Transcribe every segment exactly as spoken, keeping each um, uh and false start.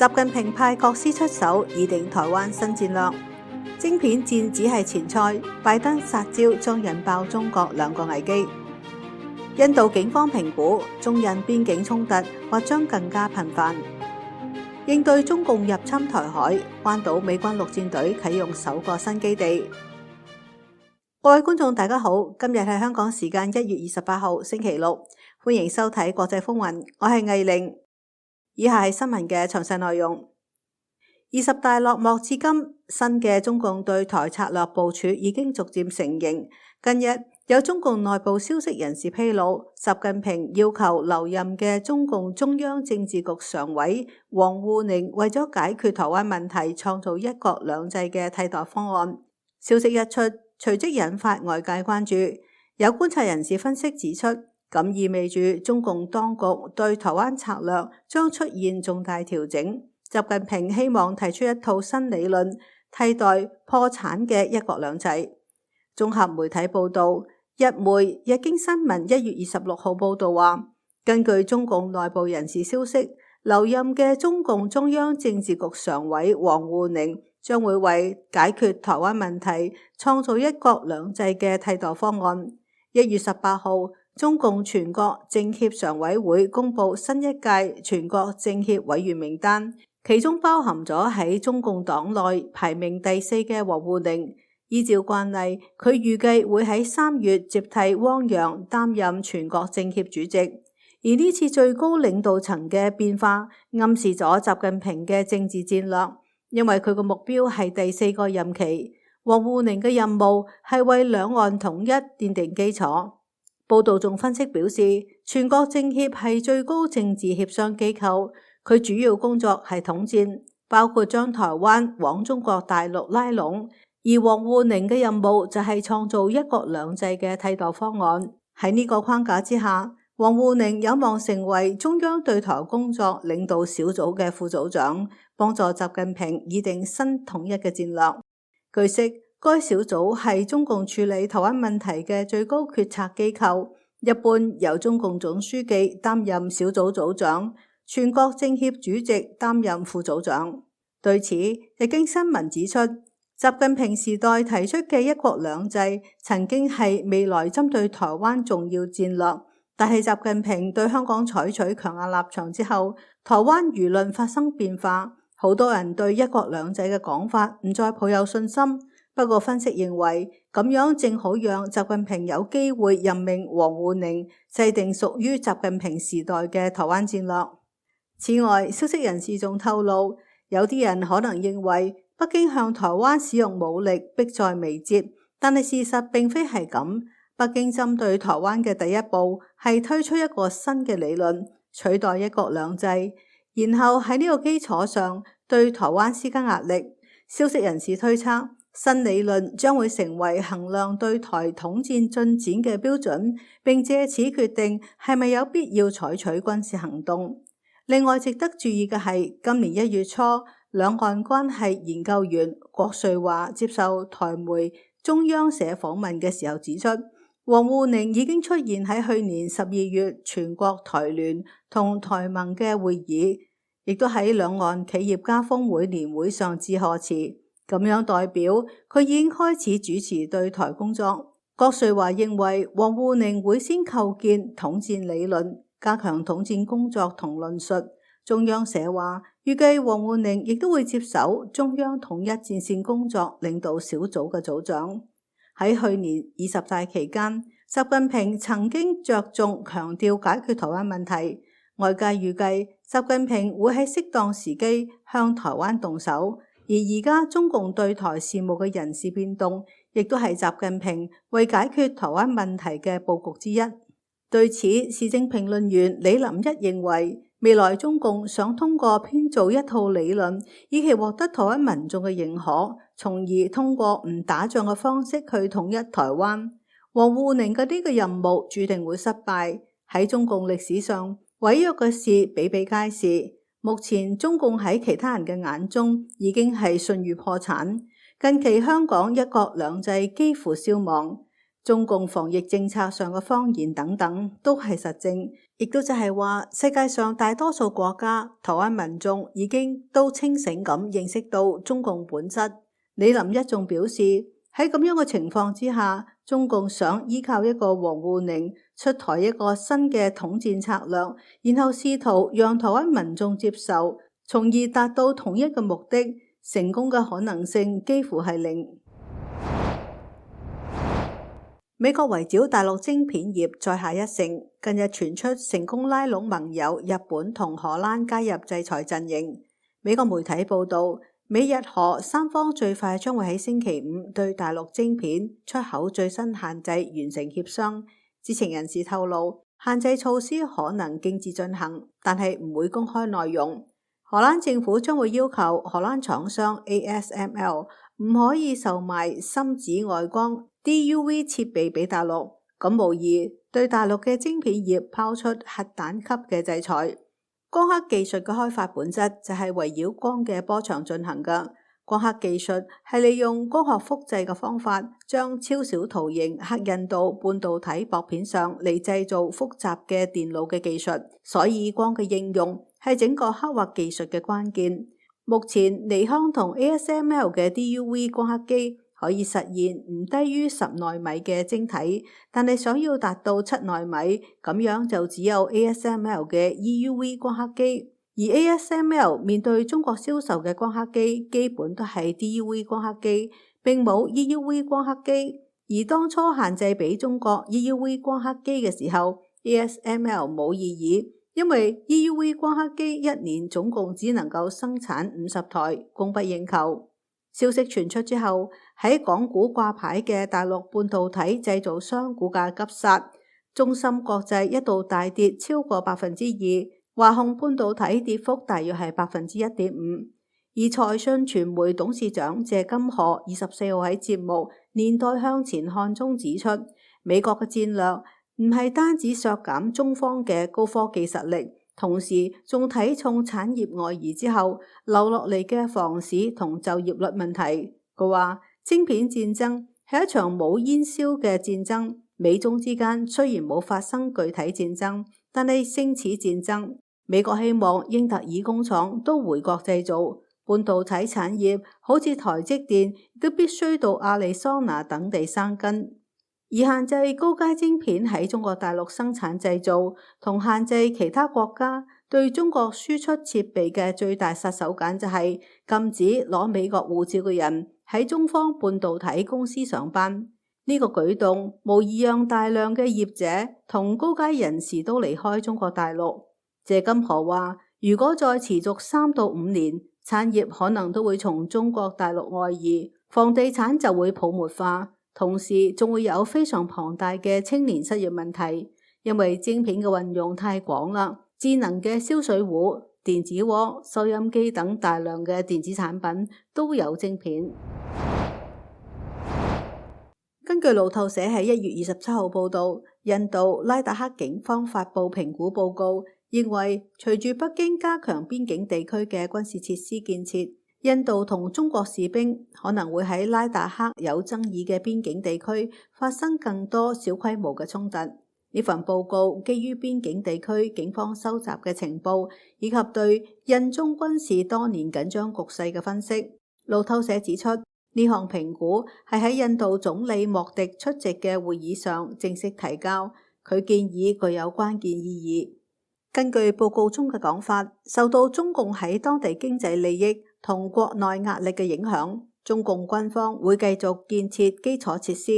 習近平派國師出手擬定台灣新戰略，晶片戰只係前菜，拜登殺招將引爆中國兩個危機。印度警方評估中印邊境衝突或將更加頻繁。應對中共入侵台海，關島美軍陸戰隊啟用首個新基地。各位觀眾大家好，今日係香港時間一月二十八號星期六，歡迎收睇國際風雲，我係藝玲。以下係新聞嘅詳細內容。二十大落幕至今，新嘅中共對台策略部署已經逐漸成形。近日有中共內部消息人士披露，習近平要求留任嘅中共中央政治局常委王滬寧為咗解決台灣問題，創造一國兩制嘅替代方案。消息一出，隨即引發外界關注。有觀察人士分析指出，咁意味住中共當局對台灣策略將出現重大調整。習近平希望提出一套新理論，替代破產嘅一國兩制。綜合媒體報道，日媒日經新聞一月二十六號報道話，根據中共內部人士消息，留任嘅中共中央政治局常委王滬寧將會為解決台灣問題創造一國兩制嘅替代方案。一月十八號，中共全國政協常委會公布新一屆全國政協委員名單，其中包含咗喺中共黨內排名第四嘅王滬寧。依照慣例，佢預計會喺三月接替汪洋擔任全國政協主席。而呢次最高領導層嘅變化，暗示咗習近平嘅政治戰略，因為佢個目標係第四個任期。王滬寧嘅任務係為兩岸統一奠定基礎。報道仲分析表示，全國政協係最高政治協商機構，佢主要工作係統戰，包括將台灣往中國大陸拉攏。而王滬寧嘅任務就係創造一國兩制嘅替代方案。喺呢個框架之下，王滬寧有望成為中央對台工作領導小組嘅副組長，幫助習近平擬定新統一嘅戰略。據悉，該小組係中共處理台灣問題嘅最高決策機構，一般由中共總書記擔任小組組長，全國政協主席擔任副組長。對此，日經新聞指出，習近平時代提出嘅一國兩制曾經係未來針對台灣重要戰略，但係習近平對香港採取強硬立場之後，台灣輿論發生變化，好多人對一國兩制嘅講法唔再抱有信心。不過分析認為，咁樣正好讓習近平有機會任命王滬寧制定屬於習近平時代嘅台灣戰略。此外，消息人士仲透露，有啲人可能認為北京向台灣使用武力迫在眉睫，但係事實並非係咁。北京針對台灣嘅第一步係推出一個新嘅理論，取代一國兩制，然後喺呢個基礎上對台灣施加壓力。消息人士推測，新理論將會成為衡量對台統戰進展嘅標準，並借此決定係咪有必要採取軍事行動。另外值得注意嘅係，今年一月初，兩岸關係研究員郭瑞華接受台媒中央社訪問嘅時候指出，王滬寧已經出現喺去年十二月全國台聯同台盟嘅會議，亦都喺兩岸企業家峰會年會上致賀詞，咁樣代表佢已經開始主持對台工作。郭瑞華認為，王滬寧會先構建統戰理論，加強統戰工作同論述。中央社話，預計王滬寧亦都會接手中央統一戰線工作領導小組嘅組長。喺去年二十大期間，習近平曾經着重強調解決台灣問題，外界預計習近平會喺適當時機向台灣動手。而而家中共對台事務嘅人事變動，亦都係習近平為解決台灣問題嘅佈局之一。對此，時政評論員李林一認為，未來中共想通過編造一套理論，以期獲得台灣民眾嘅認可，從而通過唔打仗嘅方式去統一台灣。王滬寧嘅呢個任務注定會失敗。喺中共歷史上，違約嘅事比比皆是。目前中共喺其他人嘅眼中已經係信譽破產。近期香港一國兩制幾乎消亡，中共防疫政策上嘅謊言等等都係實證，亦都就係話世界上大多數國家台灣民眾已經都清醒咁認識到中共本質。李林一仲表示，喺咁樣嘅情況之下，中共想依靠一個王滬寧出台一個新嘅統戰策略，然後試圖讓台灣民眾接受，從而達到同一個目的，成功嘅可能性幾乎係零。美國圍剿大陸晶片業再下一城，近日傳出成功拉攏盟友日本同荷蘭加入制裁陣營。美國媒體報道，美日荷三方最快將會喺星期五對大陸晶片出口最新限制完成協商。知情人士透露，限制措施可能徑自進行，但係唔會公開內容。荷蘭政府將會要求荷蘭廠商 A S M L 唔可以售賣深紫外光 D U V 設備俾大陸，咁無疑對大陸嘅晶片業拋出核彈級嘅制裁。光刻技術嘅開發本質就係圍繞光嘅波長進行嘅。光刻技術係利用光學複製嘅方法，將超小圖形刻印到半導體薄片上嚟製造複雜嘅電路嘅技術，所以光嘅應用係整個刻畫技術嘅關鍵。目前尼康同 A S M L 嘅 D U V 光刻機可以實現唔低於十奈米嘅晶體，但係想要達到七奈米，咁樣就只有 A S M L 嘅 E U V 光刻機。而 A S M L 面對中國銷售嘅光刻機，基本都係 D U V 光刻機，並冇 E U V 光刻機。而當初限制俾中國 E U V 光刻機嘅時候 ，A S M L 冇異議，因為 E U V 光刻機一年總共只能夠生產五十台，供不應求。消息傳出之後，喺港股掛牌嘅大陸半導體製造商股價急殺，中芯國際一度大跌超過百分之二，華虹半導體跌幅大約係百分之一點五。而財訊傳媒董事長謝金河二十四號喺節目《年代向前看》中指出，美國嘅戰略唔係單止削減中方嘅高科技實力，同時仲睇重產業外移之後留落嚟嘅房市同就業率問題。佢話晶片戰爭係一場冇煙硝嘅戰爭，美中之間雖然冇發生具體戰爭，但係勝似戰爭。美國希望英特爾工廠都回國製造，半導體產業好似台積電都必須到亞利桑那等地生根。而限制高階晶片喺中國大陸生產製造，同限制其他國家對中國輸出設備嘅最大殺手鐧就係禁止攞美國護照嘅人喺中方半導體公司上班。呢個舉動無疑讓大量嘅業者同高階人士都離開中國大陸。謝金河話，如果再持續三到五年，產業可能都會從中國大陸外移，房地產就會泡沫化，同時仲會有非常龐大嘅青年失業問題，因為晶片嘅運用太廣啦，智能嘅燒水壺、電子鍋、收音機等大量嘅電子產品都有晶片。根據路透社喺一月二十七號報道，印度拉達克警方發布評估報告，認為隨住北京加強邊境地區嘅軍事設施建設，印度同中國士兵可能會喺拉達克有爭議嘅邊境地區發生更多小規模嘅衝突。呢份報告基於邊境地區警方收集嘅情報，以及對印中軍事多年緊張局勢嘅分析。路透社指出，呢項評估係喺印度總理莫迪出席嘅會議上正式提交，佢建議具有關鍵意義。根據報告中嘅講法，受到中共喺當地經濟利益同國內壓力嘅影響，中共軍方會繼續建設基礎設施，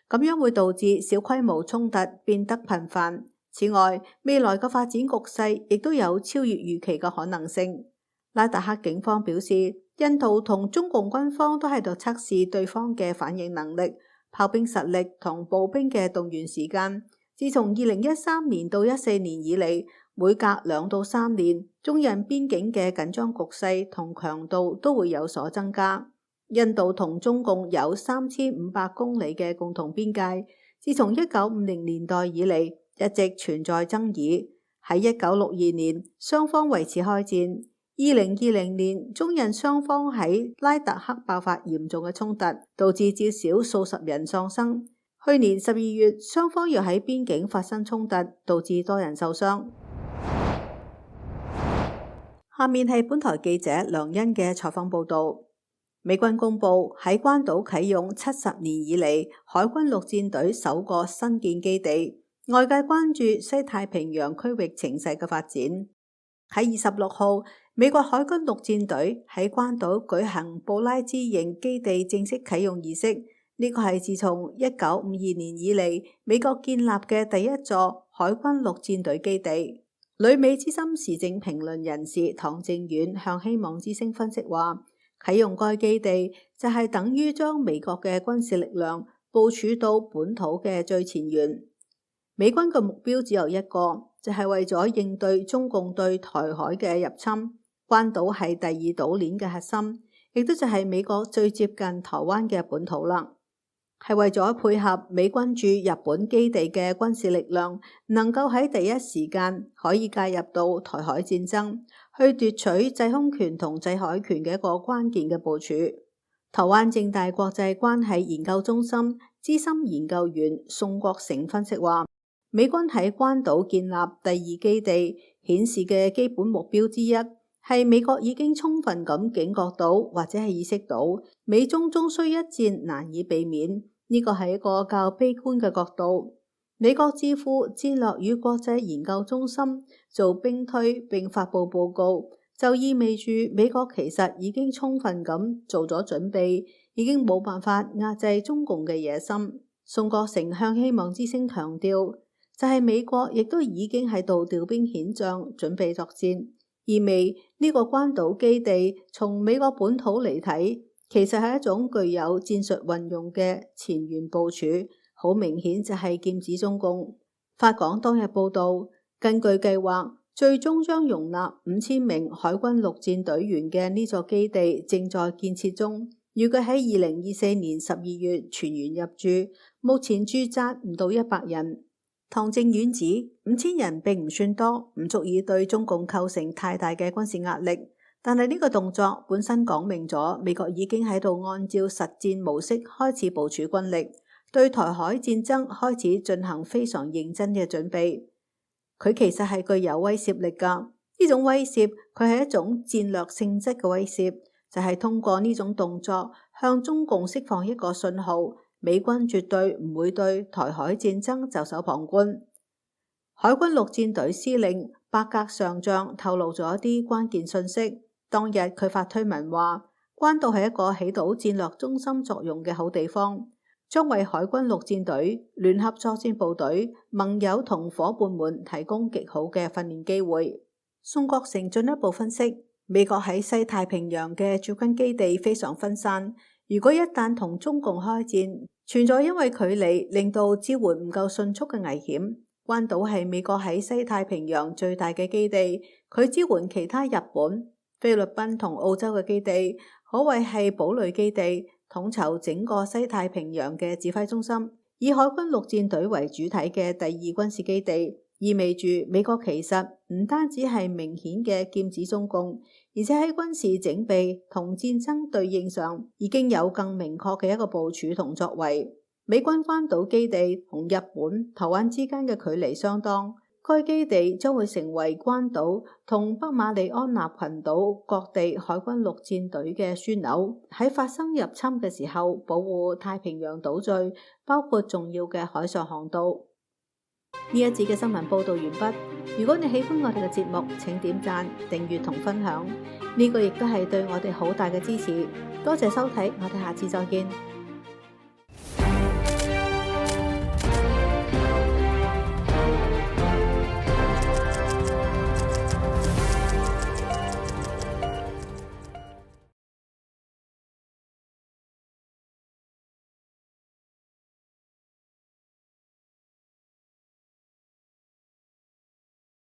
咁樣會導致小規模衝突變得頻繁。此外，未來嘅發展局勢亦都有超越預期嘅可能性。拉達克警方表示，印度同中共軍方都喺度測試對方嘅反應能力、炮兵實力同步兵嘅動員時間。自從二零一三年到一四年以嚟，每隔兩到三年，中印邊境嘅緊張局勢同強度都會有所增加。印度同中共有三千五百公里嘅共同邊界，自從一九五零年代以嚟一直存在爭議。喺一九六二年，雙方為此開戰。二零二零年，中印雙方喺拉達克爆發嚴重嘅衝突，導致至少數十人喪生。去年十二月，雙方又喺邊境發生衝突，導致多人受傷。下面係本台記者梁欣嘅採訪報道。美軍公布喺關島啟用七十年以嚟海軍陸戰隊首個新建基地，外界關注西太平洋區域情勢嘅發展。喺二十六號，美國海軍陸戰隊喺關島舉行布拉茲營基地正式啟用儀式，呢個係自從一九五二年以嚟美國建立嘅第一座海軍陸戰隊基地。旅美資深時政評論人士唐正遠向希望之聲分析話，啟用該基地就係等於將美國嘅軍事力量部署到本土嘅最前沿。美軍嘅目標只有一個，就係為咗應對中共對台海嘅入侵。關島係第二島鏈嘅核心，亦都就係美國最接近台灣嘅本土啦。係為咗配合美軍駐日本基地嘅軍事力量，能夠喺第一時間可以介入到台海戰爭，去奪取制空權同制海權嘅一個關鍵嘅部署。台灣政大國際關係研究中心資深研究員宋國成分析話，美軍喺關島建立第二基地，顯示嘅基本目標之一係美國已經充分咁警覺到或者係意識到美中終須一戰難以避免。呢個係一個較悲觀嘅角度。美國智庫戰略與國際研究中心做兵推並發布報告，就意味住美國其實已經充分咁做咗準備，已經冇辦法壓制中共嘅野心。宋國成向希望之聲強調，就係、是、美國亦都已經喺度調兵遣將，準備作戰，意味呢個關島基地從美國本土嚟睇，其實係一種具有戰術運用嘅前沿部署，好明顯就係劍指中共。法廣當日報道，根據計劃，最終將容納五千名海軍陸戰隊員嘅呢座基地正在建設中，預計喺二零二四年十二月全員入駐，目前駐紮唔到一百人。唐正遠指五千人並唔算多，唔足以對中共構成太大嘅軍事壓力。但係呢個動作本身講明咗，美國已經喺度按照實戰模式開始部署軍力，對台海戰爭開始進行非常認真嘅準備。佢其實係具有威懾力噶，呢種威懾佢係一種戰略性質嘅威懾，就係通過呢種動作向中共釋放一個信號，美軍絕對唔會對台海戰爭袖手旁觀。海軍陸戰隊司令伯格上將透露咗一啲關鍵信息。當日佢發推文話，關島係一個起到戰略中心作用嘅好地方，將為海軍陸戰隊、聯合作戰部隊、盟友同伙伴們提供極好嘅訓練機會。宋國成進一步分析，美國喺西太平洋嘅駐軍基地非常分散，如果一旦同中共開戰，存在因為距離令到支援唔夠迅速嘅危險。關島係美國喺西太平洋最大嘅基地，佢支援其他日本、菲律賓同澳洲嘅基地，可謂係堡壘基地，統籌整個西太平洋嘅指揮中心。以海軍陸戰隊為主體嘅第二軍事基地，意味住美國其實唔單止係明顯嘅劍指中共，而且喺軍事整備同戰爭對應上，已經有更明確嘅一個部署同作為。美軍關島基地同日本、台灣之間嘅距離相當。該基地將會成為關島同北馬里安納群島各地海軍陸戰隊嘅樞紐，喺發生入侵嘅時候保護太平洋島嶼，包括重要嘅海上航道。呢一節嘅新聞報道完畢。如果你喜歡我哋嘅節目，請點讚、訂閱同分享，呢個亦都係對我哋好大嘅支持。多謝收睇，我哋下次再見。